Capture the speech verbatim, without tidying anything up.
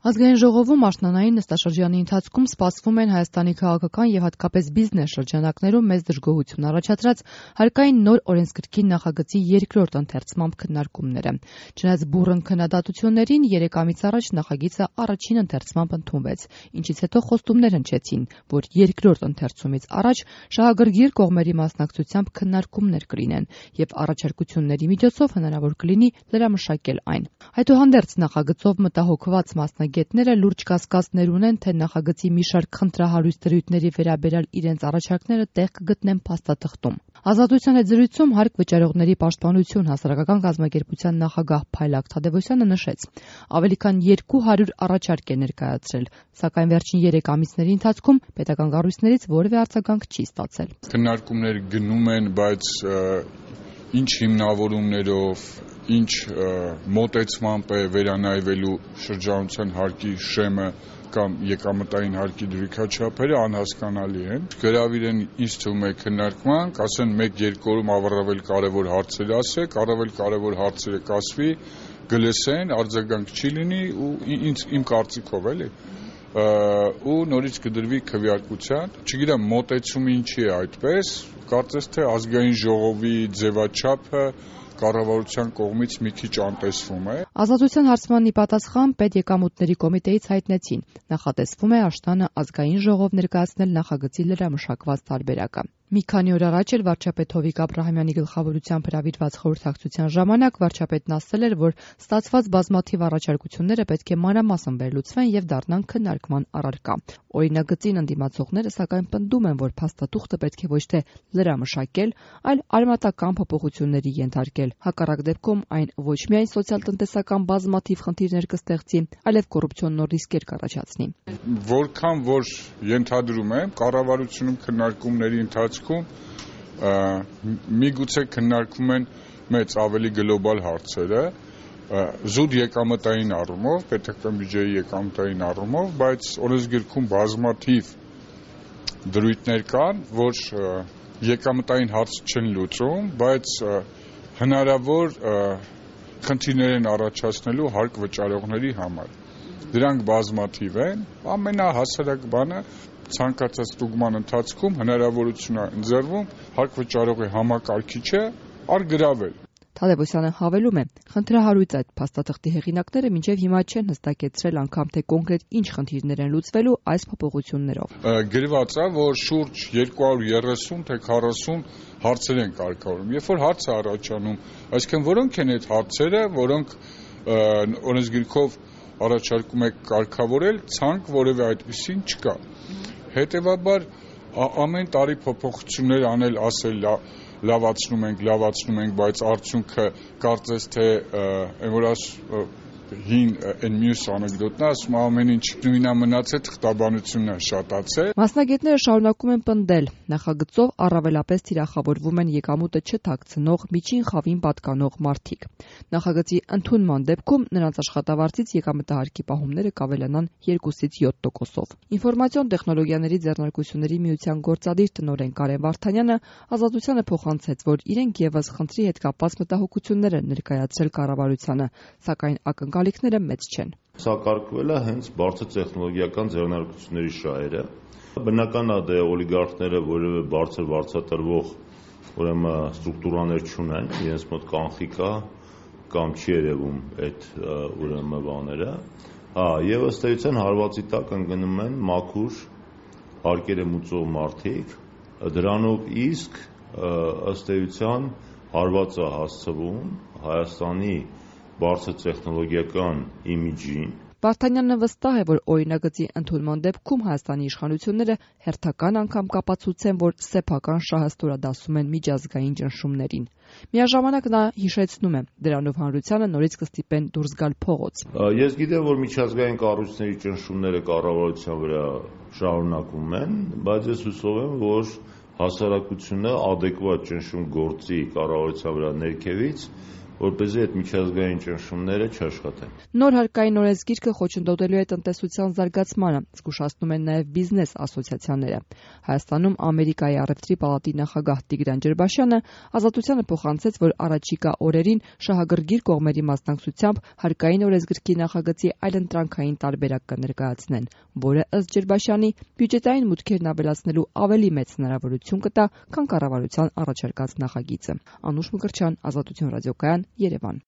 Ազգային ժողովում աշնանային նստաշրջանի ընթացքում սպասվում են Հայաստանի քաղաքական և հատկապես բիզնես շրջանակներում մեծ դժգոհություն առաջացրած հարկային նոր օրենսգրքի նախագծի երկրորդ ընթերցման քննարկումները։ Չնայած բուռն քննադատություններին, երեք ամիս առաջ նախագիծը առաջին ընթերցմամբ ընդունվեց, ինչից հետո խոստումներ հնչեցին, որ երկրորդ ընթերցումից առաջ շահագրգիռ կողմերի մասնակցությամբ քննարկումներ կլինեն և առաջարկությունների միջոցով հնարավոր կլինի լրամշակել այն։ Այդուհանդերձ նախագծով մտահոգված մասնագետները լուրջ կասկածներ ունեն, թե նախագծի մի շարք խնդրահարույց դրույթների վերաբերյալ իրենց առաջարկները տեղ կգտնեն փաստաթղթում։ Ազատության հետ զրույցում Հարկ վճարողների պաշտպանություն հասարակական կազմակերպության նախագահ Փայլակ Թադևոսյանը նշեց. ավելի քան երկու հարյուր առաջարկ է ներկայացրել, սակայն վերջին երեք ամիսների ընթացքում պետական կառույցներից որևէ արձագանք չի ստացել։ Քննարկումներ գնում են, բայց ինչ հիմնավորումներով, ինչ մոտեցմամբ է վերանայվելու շրջանության հարկի շեմը կամ եկամտային հարկի դրույքաչափերը անհասկանալի են։ Գրավիր են ինձ թվում է քննարկման, կասեն մեկ-երկու օրում առավել կարևոր հարցեր ասեք, առավել կարևոր հարցերը կասվի, գլսեն, արձագանք չի լինի ու ինձ իմ կարծիքով էլի ու նորից կդրվի քվեարկության։ Չգիտեմ մոտեցումը ինչի է այդպես, կարծես թե ազգային ժողովի ձևաչափը կառավարության կողմից մի քիչ անտեսվում է։ Ազատության հարցման ի պատասխան պետեկամուտների կոմիտեից հայտնեցին, նախատեսվում է աշնանը ազգային ժողով ներկայացնել նախագծի լրամշակված տարբերակը։ Մի քանի օր առաջ էլ վարչապետ Հովիկ Աբրահամյանի գլխավորությամբ հրավիրված խորհրդակցության ժամանակ վարչապետն ասել էր, որ ստացված բազմաթիվ առաջարկությունները պետք է մանրամասն վերլուծվեն եւ դառնան քննարկման առարկա։ Օրինագծին ընդդիմացողները սակայն պնդում են, որ փաստաթուղթը պետք է ոչ թե լրամշակել, այլ արմատական փոփոխությունների ենթարկել։ Հակառակ դեպքում այն ոչ միայն սոցիալ-տնտեսական բազմաթիվ խնդիրներ կստեղծի, այլև կոռուպցիոն ռիսկեր կառաջացնի։ Որքան որ ենթադրում եմ, կառավարությունում քննարկումների ընթացքում միգուցե քննարկվում են մեծ ավելի գլոբալ հարցերը, զուտ եկամտային առումով, պետական բյուջեի եկամտային առումով, բայց օրենսգրքում բազմաթիվ դրույթներ կան, որ եկամտային հարց չեն լուծում, բայց հնարավոր խնդիրներ են առաջացնելու հարկ վճարողների համար։ Դրանք բազմաթիվ են, ամենահասարակ բանը ցանկացած ստուգման ընթացքում հնարավորություն է ընձեռվում հարկ վճարողի համակարգիչը առգրավել։ Թադևոսյանը հավելում է, խնդրահարույց այդ փաստաթղթի հեղինակները մինչև հիմա չեն հստակեցրել անգամ թե կոնկրետ ինչ խնդիրներ են լուծվելու այս փոփոխություններով։ Գրված է, որ շուրջ երկու հարյուր երեսուն թե քառասուն հարցեր են կարգավորում։ Երբ որ հարց է առաջանում, այսինքն որոնք են այդ հարցերը, որոնք օրենսգրքով առաջարկում եք կարգավորել, ցանկ որևէ այդպեսին չկա։ Հետևաբար ամեն տարի փոփոխություններ անել, ասել լավացնում ենք, լավացնում ենք, բայց արդյունքը կարծես թե այն որ հին այն մյուս անեկդոտն է, ասում ամեն ինչ նույնա մնացել, թղթաբանությունն է շատացել։ Մասնագետները շարունակում են պնդել, նախագծով առավելապես թիրախավորվում են եկամուտը չթաքցնող, միջին խավին պատկանող մարդիկ։ Նախագծի ընդունման դեպքում նրանց աշխատավարձից եկամտահարկի պահումները կավելանան երկուսից յոթ տոկոսով։ Ինֆորմացիոն տեխնոլոգիաների ձեռնարկությունների միության գործադիր տնօրեն Կարեն Վարդանյանը Ազատությանը փոխանցեց, որ իրենք եւս խնդրի հետ կապված մտահոգություններ են ներկայացրել կառավարությանը, սակայն ակնկալիքները մեծ չեն։ Սա կարգվել է հենց բարձր տեխնոլոգիական ձեռնարկությունների շահերը։ Բնական է դե օլիգարխները որևէ բարձր վարձատրվող ուրեմն ստրուկտուրաներ չունեն, իրենց մոտ կանխիկ է կամ չի երևում այդ ուրեմն բաները։ Հա, եւ ըստ էության հարվածի տակ ընկնում են մաքուր հարկերը մուծող մարդիկ, դրանով իսկ ըստ էության հարվածը հասցվում Հայաստանի բարձր տեխնոլոգիական իմիջին։ Վարդանյանը վստահ է, որ օրինագծի ընդունման դեպքում Հայաստանի իշխանությունները հերթական անգամ կապացուցեն, որ սեփական շահը ստորադասում են միջազգային ճնշումներին։ Միաժամանակ նա հիշեցնում է, դրանով հանրությանը նորից կստիպեն դուրս գալ փողոց։ Ես գիտեմ, որ միջազգային կառույցների ճնշումները կառավարության վրա շարունակվում են, բայց ես հուսով եմ, որ հասարակությունը ադեկվատ ճնշում գործի կառավարության վրա ներքևից, որպեսզի այդ միջազգային ճնշումները չաշխատեն։ Նոր հարկային օրենսգիրքը խոչընդոտելու է տնտեսության զարգացմանը, զգուշացնում են նաև բիզնես ասոցիացիաները։ Հայաստանում Ամերիկայի առևտրի պալատի նախագահ Տիգրան Ջերբաշյանը Ազատությանը փոխանցեց, որ առաջիկա օրերին շահագրգիռ կողմերի մասնակցությամբ հարկային օրենսգրքի նախագծի այլընտրանքային տարբերակ կներկայացնեն, որը ըստ Ջերբաշյանի բյուջետային մուտքերն ավելացնելու ավելի մեծ հնարավորություն կտա, քան կառավարության առաջարկած նախագիծը։ Անուշ Մկրտչյան, Ազատություն ռադիոկայան, Երևան։